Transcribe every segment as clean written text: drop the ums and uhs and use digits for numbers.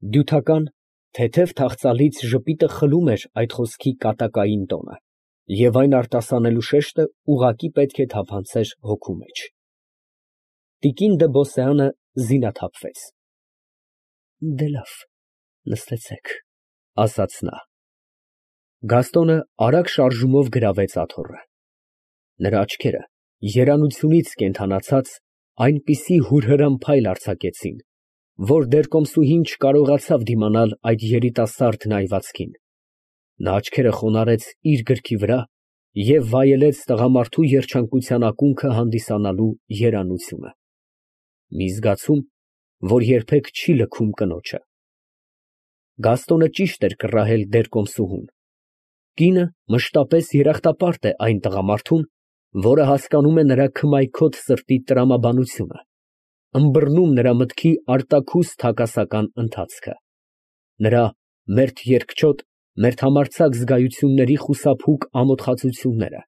Դյութական, թեթև թախծալից ժպիտը խլում էր այդ խոսքի կատակային տոնը, և այն արտասանելու շեշտը ուղղակի պետք է թափանցեր հոգու մեջ։ Տիկին դը Բոսեանը զինաթափվեց։ Դե լավ, նստեցեք, ասաց նա։ Գաստոնը արագ շարժումով գրավեց աթոռը։ Նրա աչքերը, երանությունից կենդանացած, այնպիսի հուրհրամ փայլ արձակեցին, որ դերկոմսուհին չկարողացավ դիմանալ այդ երիտասարդ նայվածքին։ Նա աչքերը խոնարհեց իր գրքի վրա և վայելեց տղամարդու երջանկության ակունքը հանդիսանալու երանությունը, մի զգացում, որ երբեք չի լքում կնոջը։ Գաստոնը ճիշտ էր կռահել դերկոմսուհուն։ Կինը մշտապես երախտապարտ է այն տղամարդուն, որը հասկանում է նրա քմայքոտ սրտի տրամաբանությունը, ըմբռնում նրա մտքի արտաքուստ հակասական ընթացքը, նրա մերթ երկչոտ, մերթ համարձակ զգայությունների խուսափուկ ամոթխածությունները,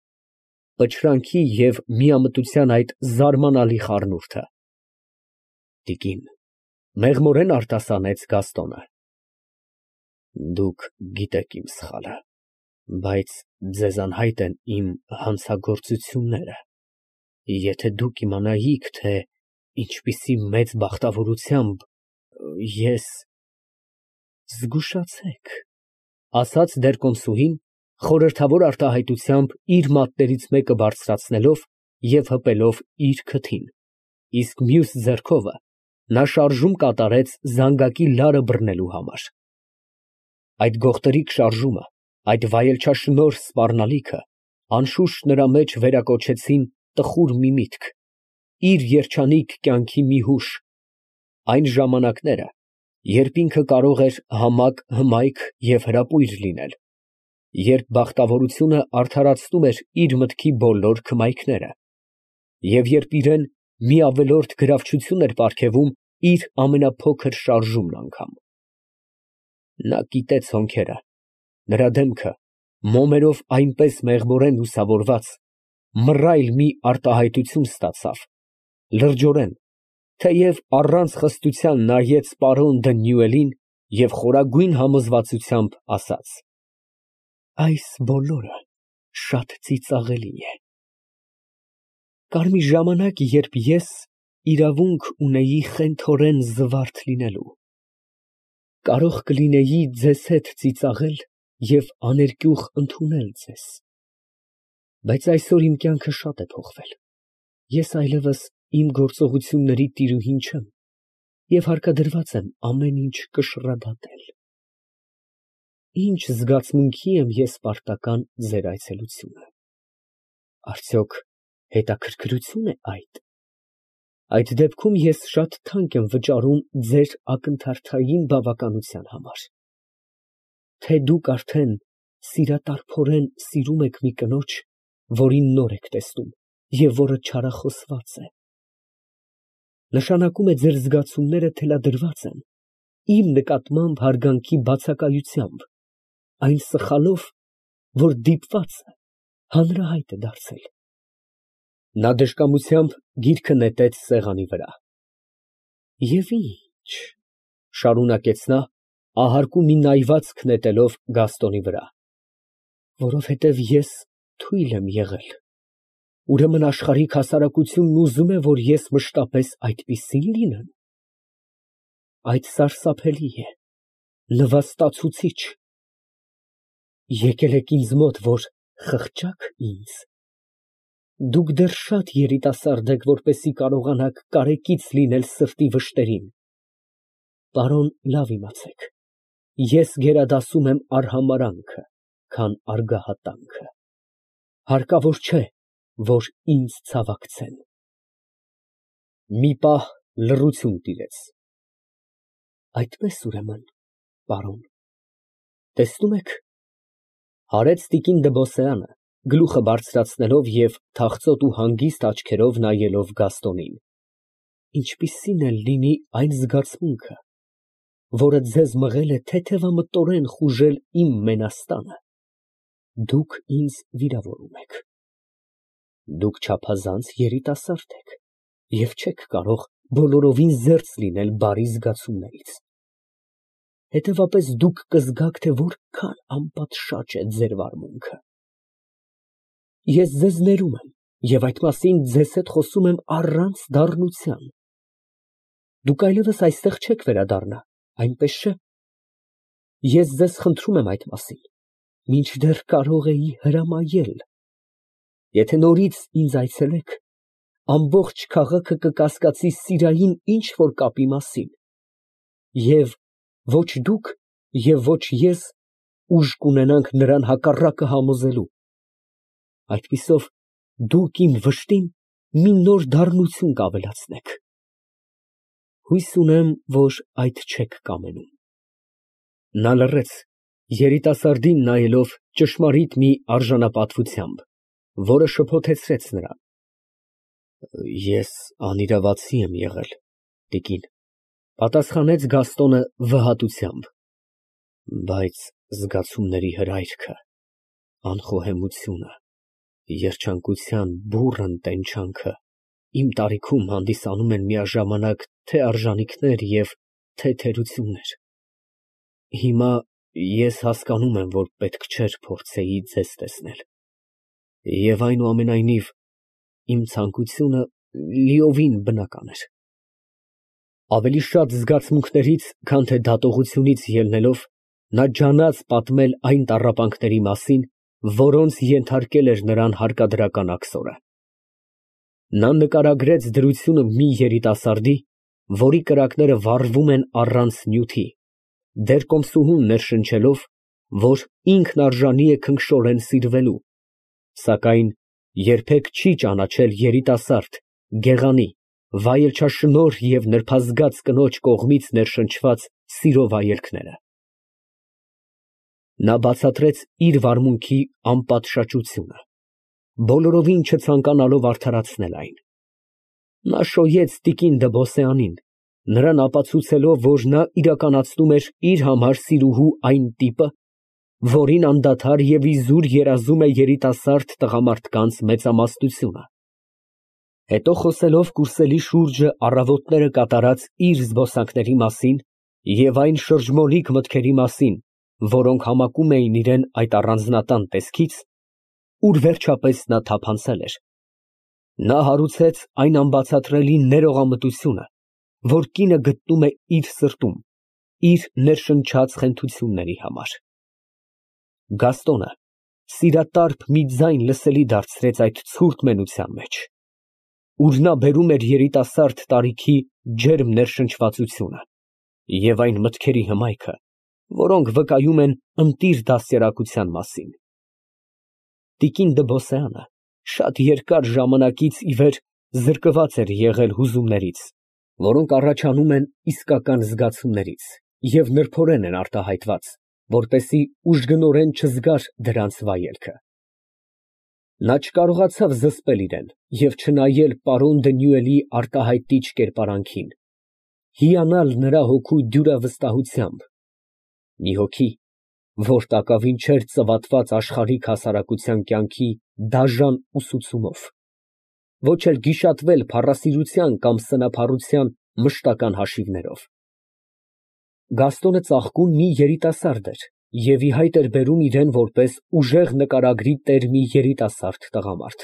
պչրանքի և միամտության այդ զարմանալի խառնուրդը։ Տիկին, մեղմորեն արտասանեց Գաստոնը, դուք գիտեք իմ սխալը, բայց ձեզ անհայտ են իմ հանցագործությունները, եթե դուք իմանայիք, թե ինչպիսի մեծ բախտավորությամբ ես… Զգուշացեք, ասաց դերկոմսուհին, խորհրդավոր արտահայտությամբ իր մատներից մեկը բարձրացնելով և հպելով իր քթին, իսկ մյուս ձեռքովը նա շարժում կատարեց զանգակի լարը բռնելու համար։ Այդ գողտրիկ շարժումը, այդ վայելչաշնորհ սպառնալիքը անշուշտ նրա մեջ վերակոչեցին տխուր մի միտք, իր երջանիկ կյանքի մի հուշ, այն ժամանակները, երբ ինքը կարող էր համակ, հմայք և հրապույր լինել, երբ բախտավորությունը արդարացնում էր իր մտքի բոլոր քմայքները, և երբ իրան մի ավելորդ գրավչություն էր պարգևում իր ամենափոքր շարժումն անգամ։ Նա կիտեց հոնքերը, նրա դեմքը, մոմերով այնպես մեղմորեն լուսավորված, մռայլ մի արտահայտություն ստացավ, լրջորեն, թեև առանց խստության նայեց պարոն դը Նյուելին և խորագույն համոզվածությամբ ասաց. «Այս բոլորը շատ ծիծաղելի է։ Կար մի ժամանակ, երբ ես իրավունք ունեի խենթորեն զվարթ լինելու, կարող կլինեի ձեզ հետ ծիծաղել և աներկյուղ ընդունել ձեզ, բայց այսօր իմ կյանքը շատ է փոխվել, ես այլևս իմ գործողությունների տիրուհին չեմ և հարկադրված եմ ամեն ինչ կշռադատել։ Ինչ զգացմունքի եմ ես պարտական ձեր այցելությունը։ Արդյոք հետաքրքրությո՞ւն է այդ։ Այդ դեպքում ես շատ թանկ եմ վճարում ձեր ակնթարթային բավականության համար։ Թե դուք արդեն սիրատարփորեն սիրում եք մի կնոջ, որին նոր եք տեսնում և որը չարախոսված է, նշանակում է ձեր զգացումները թելադրված են իմ նկատմամբ հարգանքի բացակայությամբ, այն սխալով, որ դիպվածը հանրահայտ է դարձել։ Նա դժկամությամբ գիրքը նետեց սեղանի վրա։ Եվ ինչ, շարունակեց նա, ահարկու մի նայվածք նետելով Գաստոնի վրա, որովհետև ես թույլ եմ եղել, ուրեմն աշխարհիկ հասարակությունն ուզում է, որ ես մշտապես այդպիսի՞ն լինեմ։ Այդ սարսափելի է, լվաստացուցիչ։ Եկել եք ինձ մոտ, որ խղճաք ինձ։ Դուք դեռ շատ երիտասարդ եք, որպեսզի կարողանաք կարեկից լինել սրտի վշտերին։ Պարոն, լավ իմացեք, ես գերադասում եմ արհամարհանքը, քան արգահատանքը։ Հարկավոր չէ, որ ինձ ցավակցեն։ Մի պահ լռություն տիրեց։ Այդպես ուրեմն, պարոն, տեսնում եք, հարեց տիկին Դը Բոսեանը, գլուխը բարձրացնելով և թախծոտ ու հանգիստ աչքերով նայելով Գաստոնին, ինչպիսին էլ լինի այն զգացմունքը, որը ձեզ մղել է թեթևամտորեն խուժել իմ մենաստանը, դուք ինձ վիրավորում եք։ Դուք չափազանց երիտասարդ եք և չեք կարող բոլորովին զերծ լինել բարի զգացումներից։ Հետևապես դուք կզգաք, թե որքան անպատշաճ է ձեր վարմունքը։ Ես ձեզ ներում եմ և այդ մասին ձեզ հետ խոսում եմ առանց դառնության։ Դուք այլևս այստեղ չեք վերադառնա, այնպես չէ՞։ Ես ձեզ խնդրում եմ այդ մասին, մինչդեռ կարող էի հրամայել։ Եթե նորից ինձ այցելեք, ամբողջ քաղաքը կկասկածի սիրային ինչ֊որ կապի մասին, և ոչ դուք և ոչ ես ուժ կունենանք նրան հակառակը համոզելու։ Այդպիսով դուք իմ վշտին մի նոր դառնություն կավելացնեք։ Հույս ունեմ, որ այդ չեք կամենում։ Նա լռեց, երիտասարդին նայելով ճշմարիտ մի արժանապատվությամբ, որը շփոթեցրեց նրան։ Ես անիրավացի եմ եղել, տիկին, պատասխանեց Գաստոնը վհատությամբ, բայց զգացումների հրայրքը, անխոհեմությունը, երջանկության բուռն տենչանքը իմ տարիքում հանդիսանում են միաժամանակ թե արժանիքներ և թե թերություններ։ Հիմա ես հասկանում եմ, որ պետք չէր փորձեի ձեզ տեսնել, և այնուամենայնիվ իմ ցանկությունը լիովին բնական էր։ Ավելի շատ զգացմունքներից, քան թե դատողությունից ելնելով, նա ջանաց պատմել այն տառապանքների մասին, որոնց ենթարկել էր նրան հարկադրական աքսորը։ Նա նկարագրեց դրությունը մի երիտասարդի, որի կրակները վառվում են առանց նյութի, դեռ կոմսուհուն ներշնչելով, որ ինքն արժանի է քնքշորեն սիրվելու, սակայն երբեք չի ճանաչել երիտասարդ, գեղանի, վայելչաշնորհ և նրբազգաց կնոջ կողմից ներշնչված սիրո վայելքները։ Նա բացատրեց իր վարմունքի անպատշաճությունը, բոլորովին չցանկանալով արդարացնել այն։ Նա շոյեց տիկին Դ'Բոսեանին, նրան ապացուցելով, որ նա իրականացնում էր իր համար սիրուհու այն տիպը, որին անդադար և իզուր երազում է երիտասարդ տղամարդկանց մեծամասնությունը։ Հետո խոսելով կուրսելի շուրջը առավոտները կատարած իր զբոսանքների մասին և այն շրջմոլիկ մտքերի մասին, որոնք համակում էին իրան այդ առանձնատան տեսքից, ուր վերջապես նա թափանցել էր, նա հարուցեց այն անբացատրելի ներողամտությունը, որ կինը գտնում է իր սրտում, իր ներշնչած խենթությունների համար։ Գաստոնը սիրատարփ մի ձայն լսելի դարձրեց այդ ցուրտ մենության մեջ, ուր նա բերում էր երիտասարդ տարիքի ջերմ ներշնչվածությունը և այն մտքերի հմայքը, որոնք վկայում են ընտիր դաստիարակության մասին։ Տիկին Դ'Բոսեանը շատ երկար ժամանակից ի վեր զրկված էր եղել հուզումներից, որոնք առաջանում են իսկական զգացումներից և նրբորեն են արտահայտված, որպեսզի ուժգնորեն չզգար դրանց վայելքը։ Նա չկարողացավ զսպել իրան և չնայել պարոն Դենյուելի արտահայտիչ կերպարանքին, հիանալ նրա հոգու դյուրավստահությամբ, մի հոգի, որ տակավին չէր ծվատված աշխարհիկ հասարակության կյանքի դաժան ուսուցումով, ոչ էլ գիշատվել փառասիրության կամ սնափառության մշտական հաշիվներով։ Գաստոնը ծաղկուն մի երիտասարդ էր և ի հայտ էր բերում իրան որպես ուժեղ նկարագրի տեր մի երիտասարդ տղամարդ,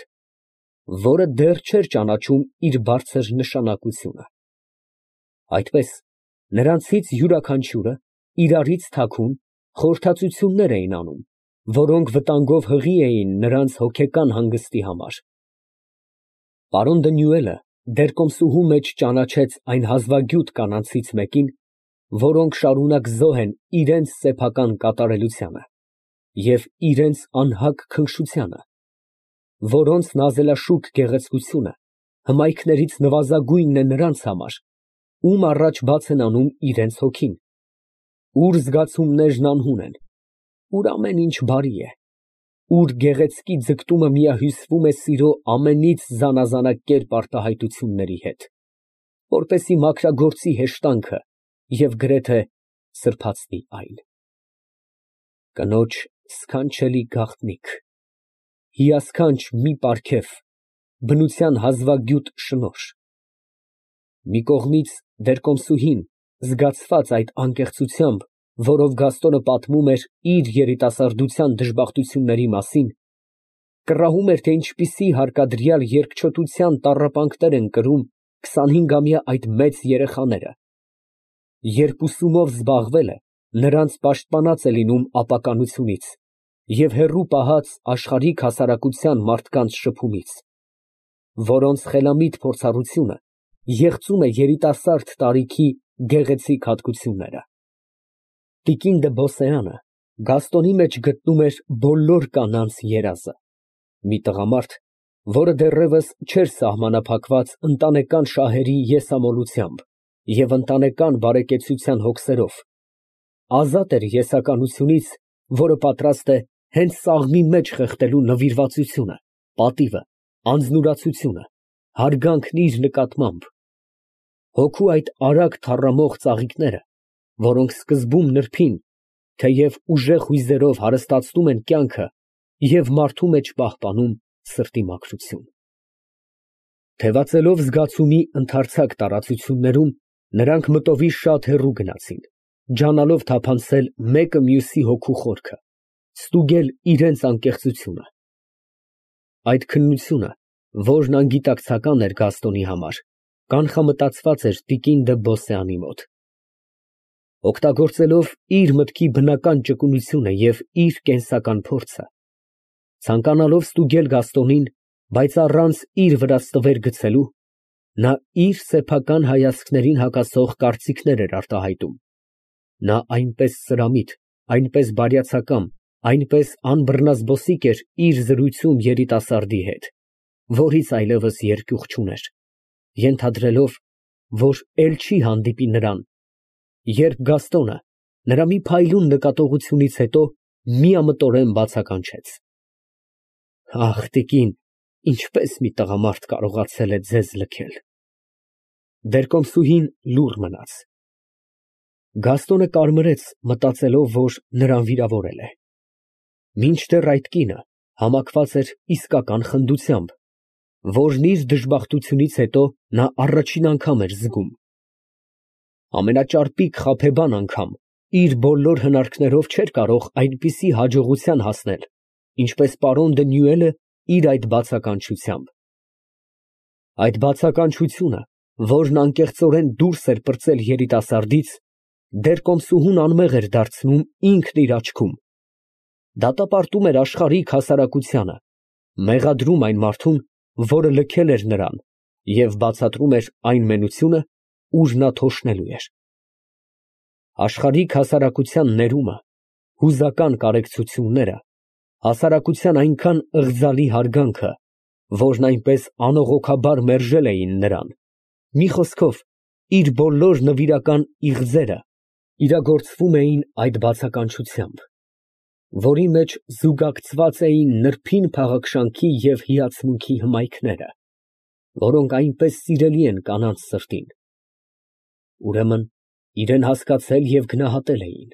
որը դեռ չէր ճանաչում իր բարձր նշանակությունը։ Այդպես նրանցից յուրաքանչյուրը իրարից թաքուն խորհրդածություններ էին անում, որոնք վտանգով հղի էին նրանց հոգեկան հանգստի համար։ Պարոն Դենյուելը դեռ կոմսուհու մեջ ճանաչեց այն հազվագյուտ կանանցից մեկին, որոնք շարունակ զոհ են իրենց սեփական կատարելությանը և իրենց անհագ քնքշությանը, որոնց նազելաշուք գեղեցկությունը հմայքներից նվազագույնն է նրանց համար, ում առաջ բաց են անում իրենց հոգին, ուր զգացումներն անհուն են, ուր ամեն ինչ բարի է, ուր գեղեցկի ձգտումը միահյուսվում է սիրո ամենից զանազանակերպ արտահայտությունների հետ, որպեսզի մաքրագործի հեշտանքը և գրեթե սրբացնի այն։ Կնոջ սքանչելի գաղտնիք, հիասքանչ մի պարգև, բնության հազվագյուտ շնորհ։ Մի կողմից դեռ կոմսուհին, զգացված այդ անկեղծությամբ, որով Գաստոնը պատմում էր իր երիտասարդության դժբախտությունների մասին, կռահում էր, թե ինչպիսի հարկադրյալ երկչոտության տառապանքներ են կրում 25-ամյա այդ մեծ երեխաները, երբ ուսումով զբաղվելը նրանց պաշտպանած է լինում ապականությունից և հեռու պահած աշխարհիկ հասարակության մարդկանց շփումից, որոնց խելամիտ փորձառությունը եղծում է երիտասարդ տարիքի գեղեցիկ հատկությունները։ Տիկին դը Բոսեանը Գաստոնի մեջ գտնում էր բոլոր կանանց երազը, մի տղամարդ, որը դեռևս չէր սահմանափակված ընտանեկան շահերի եսամոլությամբ և ընտանեկան բարեկեցության հոգսերով, ազատ էր եսականությունից, որը պատրաստ է հենց սաղմի մեջ խեղդելու նվիրվածությունը, պատիվը, անձնուրացությունը, հարգանքն իր նկատմամբ, հոգու այդ արագ թառամող ծաղիկները, որոնք սկզբում նրբին, թեև ուժեղ հույզերով հարստացնում են կյանքը և մարդու մեջ պահպանում սրտի մաքրություն։ Թևածելով զգացումի ընդարձակ տարածություններում, նրանք մտովի շատ հեռու գնացին, ջանալով թափանցել մեկը մյուսի հոգու խորքը, ստուգել իրենց անկեղծությունը։ Այդ քննությունը, որն անգիտակցական էր Գաստոնի համար, կանխամտածված էր տիկին դը Բոսեանի մոտ։ Օգտագործելով իր մտքի բնական ճկունությունը և իր կենսական փորձը, ցանկանալով ստուգել Գաստոնին, բայց առանց իր վրա ստվեր գցելու, նա իր սեփական հայացքներին հակասող կարծիքներ էր արտահայտում։ Նա այնպես սրամիտ, այնպես բարյացակամ, այնպես անբռնազբոսիկ էր իր զրույցում երիտասարդի հետ, որից այլևս երկյուղ չուներ, ենթադրելով, որ էլ չի հանդիպի նրան, երբ Գաստոնը նրա մի փայլուն նկատողությունից հետո միամտորեն բացականչեց. «Ախ, տիկին, ինչպես մի տղամարդ կարողացել է ձեզ լքել»։ Դերկոմսուհին լուռ մնաց։ Գաստոնը կարմրեց, մտածելով, որ նրան վիրավորել է։ Մինչդեռ այդ կինը համակված էր իսկական խնդությամբ, որն իր դժբախտությունից հետո նա առաջին անգամ էր զգում։ Ամենաճարպիկ խաբեբան անգամ իր բոլոր հնարքներով չէր կարող այնպիսի հաջողության հասնել, ինչպես պարոն Դանիելը իր այդ բացականչությամբ։ Այդ բացականչությունը, որն անկեղծորեն դուրս էր պրծել երիտասարդից, դերկոմսուհուն անմեղ էր դարձնում ինքն իր աչքում, դատապարտում էր աշխարհիկ հասարակությանը, մեղադրում այն մարդուն, որը լքել էր նրան, և բացատրում էր այն մենությունը, ուր նա թոշնելու էր։ Աշխարհիկ հասարակության ներումը, հուզական կարեկցությունները, հասարակության այնքան ըղձալի հարգանքը, որն այնպես անողոքաբար մերժել էին նրան, մի խոսքով, իր բոլոր նվիրական իղձերը իրագործվում էին այդ բացականչությամբ, որի մեջ զուգակցված էին նրբին փաղաքշանքի և հիացմունքի հմայքները, որոնք այնպես սիրելի են կանանց սրտին։ Ուրեմն իրան հասկացել և գնահատել էին։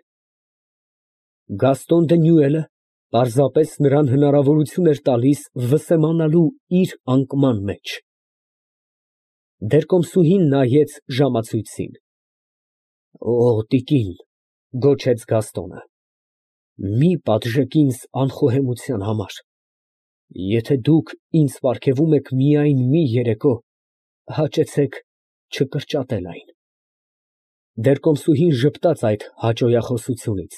Գաստոն Դանիելը պարզապես նրան հնարավորություն էր տալիս վսեմանալու իր անկման մեջ։ Դերկոմսուհին նայեց ժամացույցին։ «Օ, տիկին, ֊ գոչեց Գաստոնը, ֊ մի պատժեք ինձ անխոհեմության համար։ Եթե դուք ինձ պարգևում եք միայն մի երեկո, հաճեցեք չկրճատել այն»։ Դերկոմսուհին ժպտաց այդ հաճոյախոսությունից։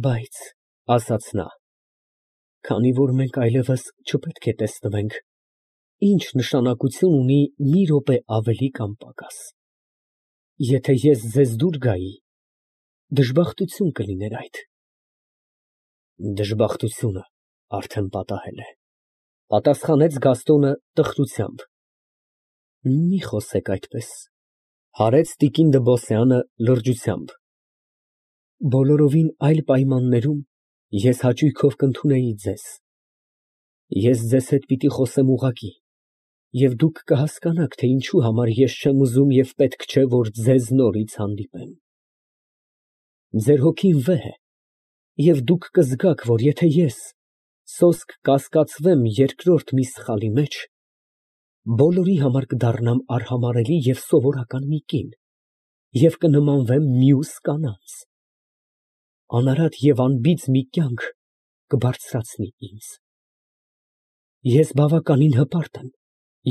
«Բայց, ֊ ասաց նա, ֊ քանի որ մենք այլևս չպետք է տեսնվենք, ի՞նչ նշանակություն ունի մի րոպե ավելի կամ պակաս։ Եթե ես ձեզ դուր գայի, դժբախտություն կլիներ այդ»։ Դժբախտությունը արդեն պատահել է, ֊ պատասխանեց Գաստոնը տխրությամբ։ Մի խոսեք այդպես, ֊ հարեց տիկին դը Բոսեանը լրջությամբ։ Բոլորովին այլ պայմաններում ես հաճույքով կընդունեի ձեզ։ Ես ձեզ հետ պիտի խոսեմ ուղղակի, և դուք կհասկանաք, թե ինչու համար ես չեմ ուզում և պետք չէ, որ ձեզ նորից հանդիպեմ։ Ձեր հոգին վեհ է, և դուք կզգաք, որ եթե ես սոսկ կասկածվեմ երկրորդ մի սխալի մեջ, բոլորի համար կդառնամ արհամարհելի և սովորական մի կին, և կնմանվեմ մյուս կանանց։ Անարատ և անբիծ մի կյանք կբարձրացնի ինձ։ Ես բավականին հպարտ եմ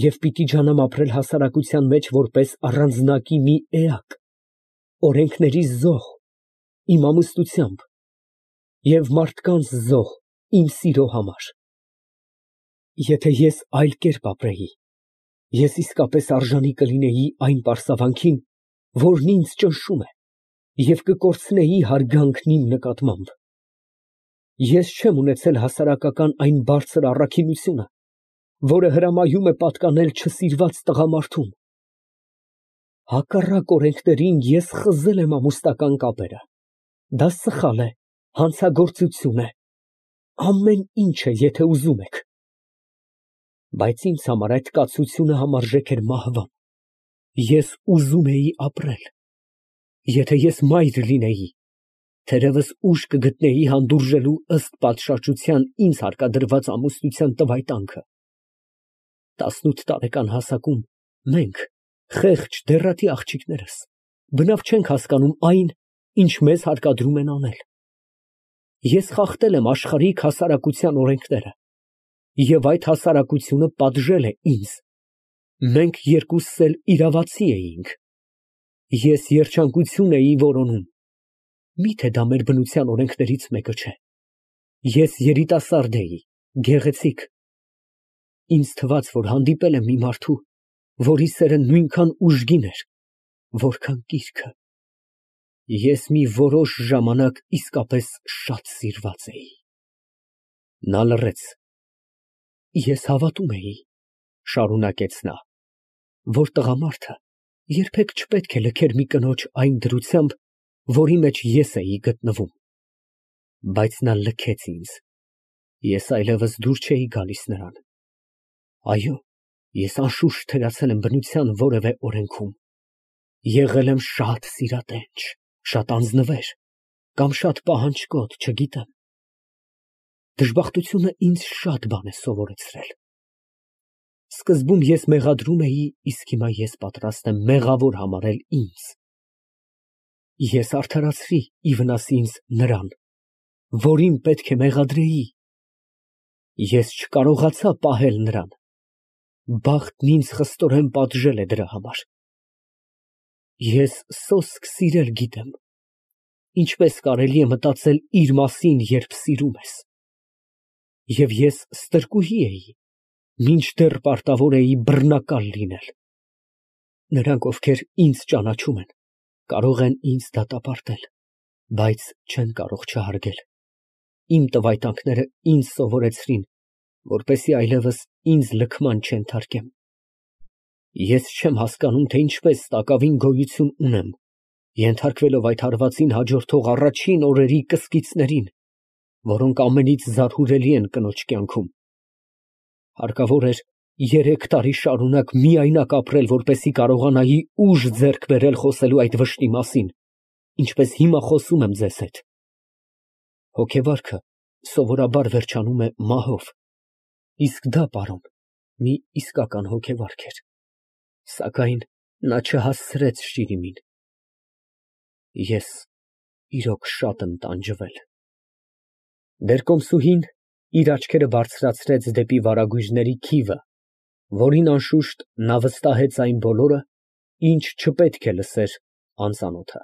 և պիտի ջանամ ապրել հասարակության մեջ որպես առանձնակի մի էակ, օրենքների զոհ իմ ամուսնությամբ և մարդկանց զոհ իմ սիրո համար։ Եթե ես այլ կերպ ապրեի, ես իսկապես արժանի կլինեի այն պարսավանքին, որն ինձ ճնշում է, և կկորցնեի հարգանքն իմ նկատմամբ։ Ես չեմ ունեցել հասարակական այն բարձր առաքինությունը, որը հրամայում է պատկանել չսիրված տղամարդուն։ Հակառակ օրենքներին ես խզել եմ ամուսնական կապերը։ Դա սխալ է, հանցագործություն է, ամեն ինչ է, եթե ուզում եք։ Բայց ինձ համար այդ կացությունը համարժեք էր մահվան։ Ես ուզում էի ապրել։ Եթե ես մայր լինեի, թերևս ուժ կգտնեի հանդուրժելու ըստ պատշաճության ինձ հարկադրված ամուսնության տվայտանքը։ 18 տարեկան հասակում մենք, խեղճ դեռատի աղջիկներս, բնավ չենք հասկանում այն, ինչ մեզ հարկադրում են անել։ Ես խախտել եմ աշխարհիկ հասարակության օրենքները, և այդ հասարակությունը պատժել է ինձ։ Մենք երկուսս էլ իրավացի էինք։ Ես երջանկություն էի որոնում։ Միթե դա մեր բնության օրենքներից մեկը չէ։ Ես երիտասարդ էի, գեղեցիկ։ Ինձ թվաց, որ հանդիպել եմ մի մարդու, որի սերը նույնքան ուժգին էր, որքան կիրքը։ Ես մի որոշ ժամանակ իսկապես շատ սիրված էի։ Նա լռեց։ Ես հավատում էի, շարունակեց նա, որ տղամարդը երբեք չպետք է լքեր մի կնոջ այն դրությամբ, որի մեջ ես էի գտնվում։ Բայց նա լքեց ինձ։ Ես այլևս դուր չէի գալիս նրան։ Այո, ես անշուշտ թերացել եմ բնության որևէ օրենքում։ Եղել եմ շատ սիրատենչ, շատ անձնվեր կամ շատ պահանջկոտ, չգիտեմ։ Դժբախտությունը ինձ շատ բան է սովորեցրել։ Սկզբում ես մեղադրում էի, իսկ հիմա ես պատրաստ եմ մեղավոր համարել ինձ։ Ես արդարացրի ի վնաս ինձ նրան, որին պետք է մեղադրեի։ Ես չկարողացա պահել նրան։ Բախտն ինձ խստորեն պատժել է դրա համար։ Ես սոսկ սիրել գիտեմ։ Ինչպես կարելի է մտածել իր մասին, երբ սիրում ես։ Եվ ես ստրկուհի էի, մինչդեռ պարտավոր էի բռնակալ լինել։ Նրանք, ովքեր ինձ ճանաչում են, կարող են ինձ դատապարտել, բայց չեն կարող չհարգել։ Իմ տվայտանքները ինձ սովորեցրին, որպեսզի այլևս ինձ լքման չենթարկեմ։ Ես չեմ հասկանում, թե ինչպես տակավին գոյություն ունեմ, ենթարկվելով այդ հարվածին հաջորդող առաջին օրերի կսկիծներին, որոնք ամենից զարհուրելի են կնոջ կյանքում։ Հարկավոր էր 3 տարի շարունակ միայնակ ապրել, որպեսզի կարողանայի ուժ ձեռք բերել խոսելու այդ վշտի մասին, ինչպես հիմա խոսում եմ ձեզ հետ։ Հոգեվարքը սովորաբար վերջանում է մահով, իսկ դա, պարոն, մի իսկական հոգեվարք էր, սակայն նա չհասցրեց Շիրիմին։ Ես իրոք շատ եմ տանջվել։ Բերկոմսուհին իր աչքերը բարձրացրեց դեպի վարագույրների քիվը, որին անշուշտ նա վստահեց այն բոլորը, ինչ չպետք է լսեր անծանոթը։